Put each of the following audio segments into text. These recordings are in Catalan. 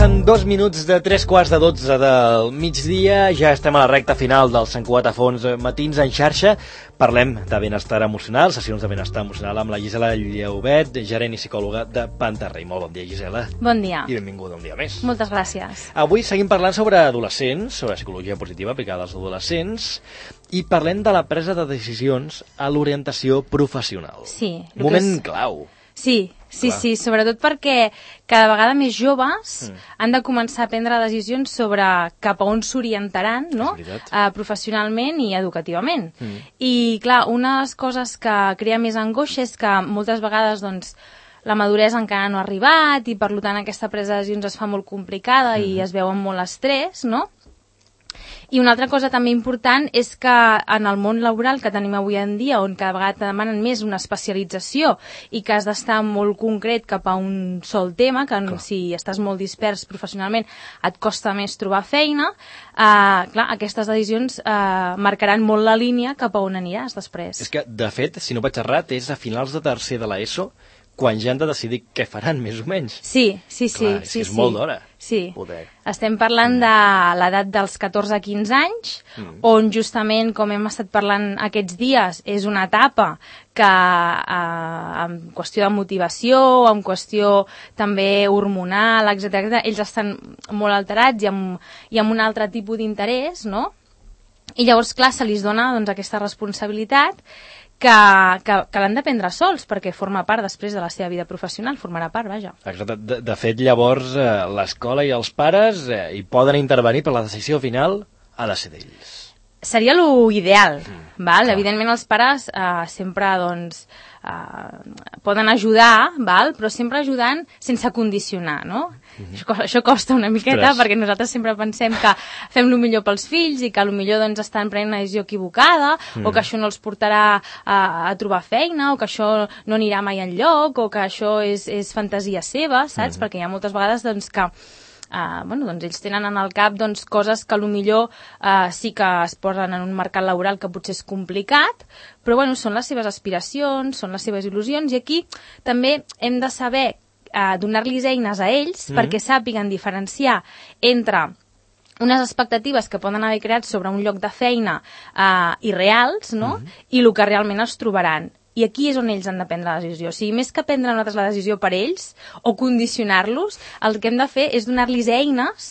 passen 2 minuts de 3:15 del migdia, ja estem a la recta final del Sant Cugat a fons matins en xarxa. Parlem de benestar emocional, sessions de benestar emocional amb la Gisela Llaubet, gerent i psicòloga de Pantarrey. Molt bon dia, Gisela. Bon dia. I benvinguda un dia més. Moltes gràcies. Avui seguim parlant sobre adolescents, sobre psicologia positiva aplicada als adolescents, i parlem de la presa de decisions a l'orientació professional. Sí. Un moment clau. Sí, sobretot perquè cada vegada més joves han de començar a prendre decisions sobre cap a on s'orientaran, no? Professionalment i educativament. I clar, una de les coses que crea més angoixa és que moltes vegades doncs, la maduresa encara no ha arribat i per tant aquesta presa de decisions es fa molt complicada i es veu amb molt estrès, no? I una altra cosa també important és que en el món laboral que tenim avui en dia, on cada vegada demanen més una especialització i que has d'estar molt concret cap a un sol tema, que si estàs molt dispers professionalment et costa més trobar feina, clar, aquestes decisions marcaran molt la línia cap a on aniràs després. És que, de fet, si no vaig errat, és a finals de tercer de l'ESO quan ja han de decidir què faran, més o menys. Sí. Clar, és molt d'hora. Sí, estem parlant de l'edat dels 14 a 15 anys, on justament, com hem estat parlant aquests dies, és una etapa que en qüestió de motivació, en qüestió també hormonal, etc., ells estan molt alterats i amb un altre tipus d'interès, no? I llavors, clar, se li dona doncs, aquesta responsabilitat que l'han de prendre sols, perquè forma part després de la seva vida professional, formarà part, vaja. Exacte. De fet, llavors, l'escola i els pares hi poden intervenir, però la decisió final ha de ser d'ells. Seria l'ideal, val? Evidentment els pares sempre doncs, poden ajudar, val? Però sempre ajudant sense condicionar, no? Això costa una miqueta perquè nosaltres sempre pensem que fem el millor pels fills i que potser doncs, estan prenent una decisió equivocada o que això no els portarà a trobar feina o que això no anirà mai enlloc o que això és fantasia seva, saps? Perquè hi ha moltes vegades doncs, que doncs ells tenen en el cap doncs, coses que potser sí que es posen en un mercat laboral que potser és complicat, però bueno, són les seves aspiracions, són les seves il·lusions, i aquí també hem de saber donar-los eines a ells perquè sàpiguen diferenciar entre unes expectatives que poden haver creat sobre un lloc de feina irreals, no? I el que realment es trobaran. I aquí és on ells han de prendre la decisió. O sigui, més que prendre nosaltres la decisió per ells o condicionar-los, el que hem de fer és donar-los eines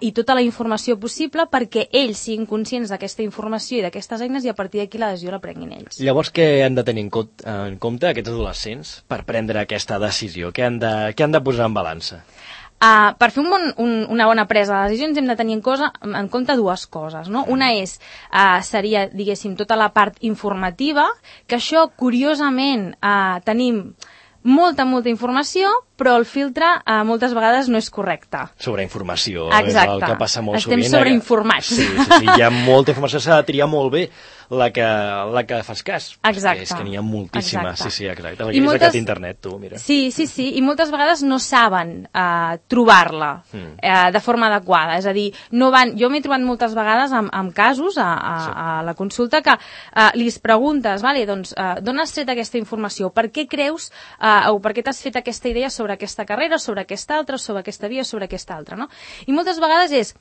i tota la informació possible perquè ells siguin conscients d'aquesta informació i d'aquestes eines i a partir d'aquí la decisió la prenguin ells. Llavors, què han de tenir en compte aquests adolescents per prendre aquesta decisió? Què han de posar en balança? Per fer una bona presa de decisions hem de tenir en compte dues coses, no? Una seria, diguéssim, tota la part informativa, que això, curiosament, tenim molta informació, però el filtre moltes vegades no és correcte. Sobreinformació, és el que passa molt sovint. Estem sobreinformats. Sí, hi ha molta informació, s'ha de triar molt bé la que fas cas. Exacte. És que n'hi ha moltíssima. Exacte. Sí, exacte. És aquest internet, tu, mira. Sí, i moltes vegades no saben trobar-la de forma adequada. És a dir, jo m'he trobat moltes vegades amb casos a la consulta que li preguntes, vale, doncs, d'on has tret aquesta informació? Per què creus o per què t'has fet aquesta idea sobre aquesta carrera, sobre aquesta altra, sobre aquesta via, sobre aquesta altra, no? I moltes vegades és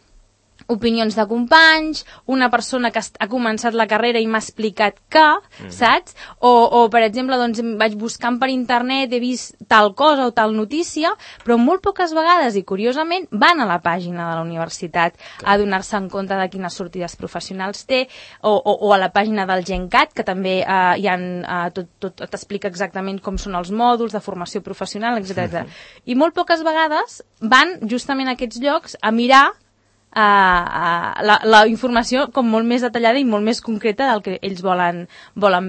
opinions de companys, una persona que ha començat la carrera i m'ha explicat que, saps? O per exemple, doncs, vaig buscant per internet, he vist tal cosa o tal notícia, però molt poques vegades, i curiosament, van a la pàgina de la universitat a donar-se en compte de quines sortides professionals té, o a la pàgina del GenCat, que també tot t'explica exactament com són els mòduls de formació professional, etc. I molt poques vegades van justament a aquests llocs a mirar la informació com molt més detallada i molt més concreta del que ells volen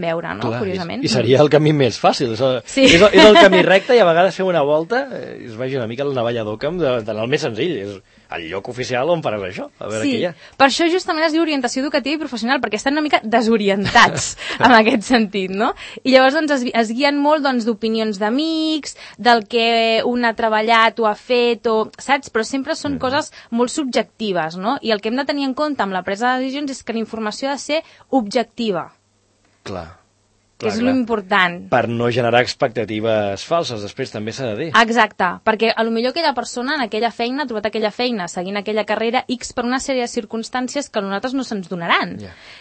veure, no? Clar, curiosament. I seria el camí més fàcil. Sí. És el camí recte i a vegades fer una volta es vagi una mica el navalla d'Occam d'anar el més senzill. És el lloc oficial on faràs això, a veure què hi ha. Per això justament es diu orientació educativa i professional, perquè estan una mica desorientats en aquest sentit, no? I llavors doncs, es guien molt doncs, d'opinions d'amics, del que un ha treballat o ha fet, saps? Però sempre són coses molt subjectives, no? I el que hem de tenir en compte amb la presa de decisions és que la informació ha de ser objectiva. Clar. que és l'important. Per no generar expectatives falses, després també s'ha de dir. Exacte, perquè a lo millor aquella persona en aquella feina ha trobat aquella feina seguint aquella carrera X per una sèrie de circumstàncies que a nosaltres no se'ns donaran.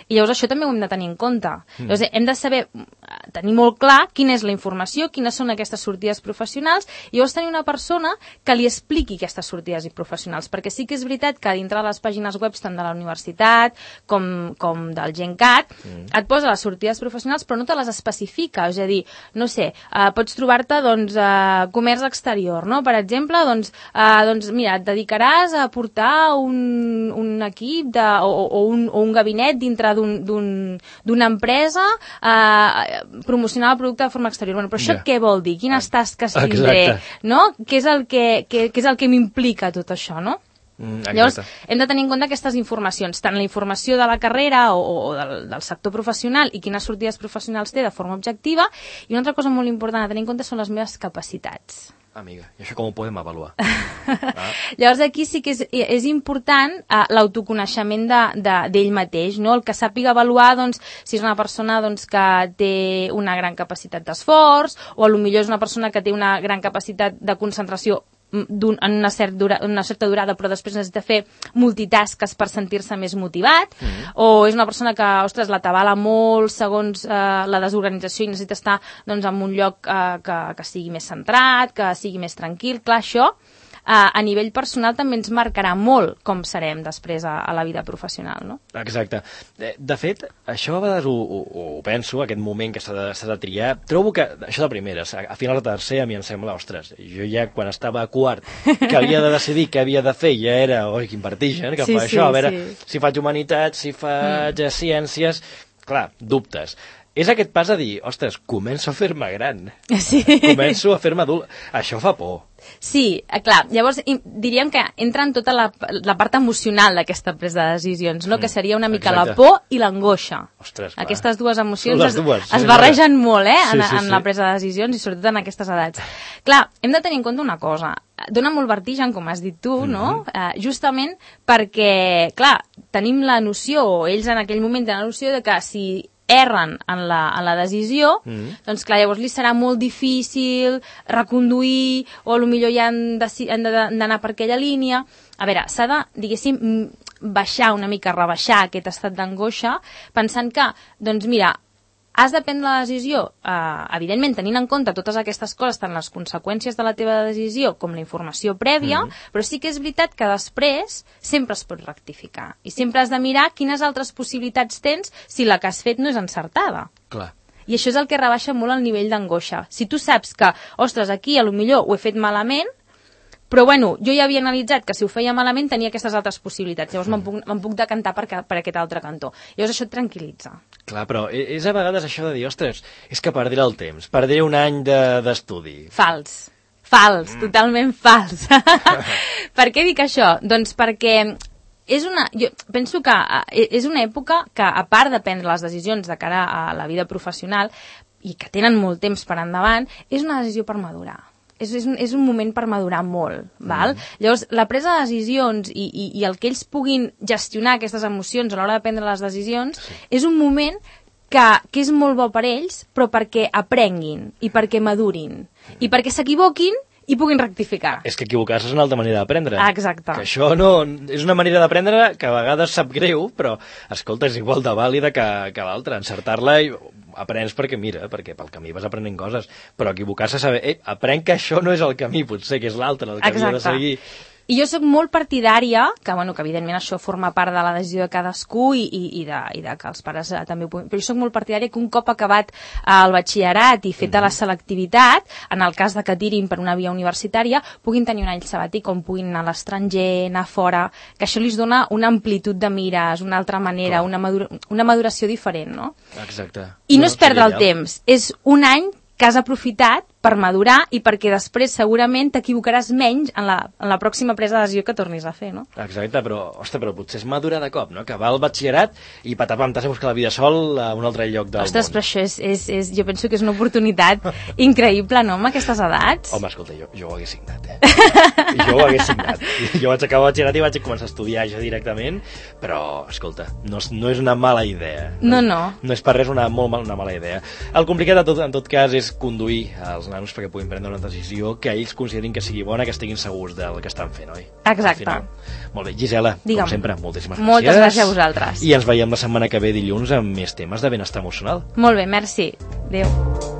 I llavors això també ho hem de tenir en compte. Llavors hem de saber, tenir molt clar quina és la informació, quines són aquestes sortides professionals, i llavors tenir una persona que li expliqui aquestes sortides professionals, perquè sí que és veritat que dintre de les pàgines web tant de la universitat com del GenCat et posa les sortides professionals però no te les especifica, és a dir, no sé, pots trobar-te comerç exterior, no? Per exemple, mira, et dedicaràs a portar un equip o un gabinet dintre d'una empresa promocionar el producte de forma exterior. Bueno, però això què vol dir? Quines tasques tindré? No? Què és el que m'implica tot això, no? Llavors, hem de tenir en compte aquestes informacions, tant la informació de la carrera o del sector professional i quines sortides professionals té de forma objectiva, i una altra cosa molt important a tenir en compte són les meves capacitats. Amiga, i això com ho podem avaluar? Llavors aquí sí que és important l'autoconeixement d'ell mateix, no? El que sàpiga avaluar si és una persona que té una gran capacitat d'esforç, o potser és una persona que té una gran capacitat de concentració en una certa durada, però després necessita fer multitasques per sentir-se més motivat, o és una persona que, ostres, l'atabala molt segons la desorganització i necessita estar en un lloc que sigui més centrat, que sigui més tranquil. Clar, això a nivell personal també ens marcarà molt com serem després a la vida professional, no? Exacte. De fet, això a vegades ho penso, aquest moment que s'ha de triar. Trobo que, això de primeres, a final de tercer a mi em sembla, ostres, jo ja quan estava a quart, que havia de decidir què havia de fer, ja era, oi, quin vertigen, que fa això, a veure si faig humanitats, si faig ciències, clar, dubtes. És aquest pas a dir, ostres, començo a fer-me gran, començo a fer-me adult, això fa por. Sí, clar, llavors diríem que entra en tota la part emocional d'aquesta presa de decisions, no? Que seria una mica la por i l'angoixa. Aquestes dues emocions es barregen molt en la presa de decisions i sobretot en aquestes edats. Clar, hem de tenir en compte una cosa, dona molt vertigen, com has dit tu, no? Justament perquè, clar, tenim la noció, o ells en aquell moment tenen la noció de que si erren en la decisió, doncs clar, llavors li serà molt difícil reconduir, o potser ja han d'anar per aquella línia. A veure, s'ha de, diguéssim, baixar una mica, rebaixar aquest estat d'angoixa, pensant que, doncs mira, has de prendre la decisió, evidentment, tenint en compte totes aquestes coses, tant les conseqüències de la teva decisió com la informació prèvia, però sí que és veritat que després sempre es pot rectificar. I sempre has de mirar quines altres possibilitats tens si la que has fet no és encertada. Clar. I això és el que rebaixa molt el nivell d'angoixa. Si tu saps que, ostres, aquí a lo millor ho he fet malament, però bueno, jo ja havia analitzat que si ho feia malament tenia aquestes altres possibilitats, llavors me'n puc decantar per aquest altre cantó. Llavors això et tranquil·litza. Clar, però és a vegades això de dir, ostres, és que perdré el temps, perdré un any d'estudi. Fals, totalment fals. Per què dic això? Doncs perquè jo penso que és una època que, a part de prendre les decisions de cara a la vida professional, i que tenen molt temps per endavant, és una decisió per madurar. És un moment per madurar molt, val? Llavors, la presa de decisions i el que ells puguin gestionar aquestes emocions a l'hora de prendre les decisions és un moment que és molt bo per ells, però perquè aprenguin i perquè madurin i perquè s'equivoquin i puguin rectificar. És que equivocar-se és una altra manera d'aprendre. Exacte. Que això no... És una manera d'aprendre que a vegades sap greu, però, escolta, és igual de vàlida que l'altra. Encertar-la i aprens perquè, mira, perquè pel camí vas aprenent coses, però equivocar-se saber, aprenc que això no és el camí, potser que és l'altre, el que havia de seguir. I jo soc molt partidària, que evidentment això forma part de la decisió de cadascú i de que els pares també ho puguin, però jo soc molt partidària que un cop acabat el batxillerat i feta la selectivitat, en el cas de que tirin per una via universitària, puguin tenir un any sabàtic on puguin anar a l'estranger, anar fora, que això li dona una amplitud de mires, una altra manera, una maduració diferent, no? Exacte. I no és perdre el temps, és un any que has aprofitat per madurar i perquè després segurament t'equivocaràs menys en la pròxima presa de decisió que tornis a fer, no? Exacte, però potser és madurar de cop, no? Que va al batxillerat i patapam, t'has de buscar la vida sol a un altre lloc del Ostres, món. però això jo penso que és una oportunitat increïble, no?, amb aquestes edats. Home, escolta, jo ho hagués signat, Jo ho hagués signat. Jo vaig acabar el batxillerat i vaig començar a estudiar ja directament, però, escolta, no és una mala idea. No. No és per res una mala idea. El complicat en tot cas és conduir els nanos perquè puguin prendre una decisió que ells considerin que sigui bona, que estiguin segurs del que estan fent, oi? Exacte. Molt bé, Gisela, Digue'm. com sempre, moltíssimes gràcies. Moltes gràcies a vosaltres. I ens veiem la setmana que ve dilluns amb més temes de benestar emocional. Molt bé, merci. Adéu.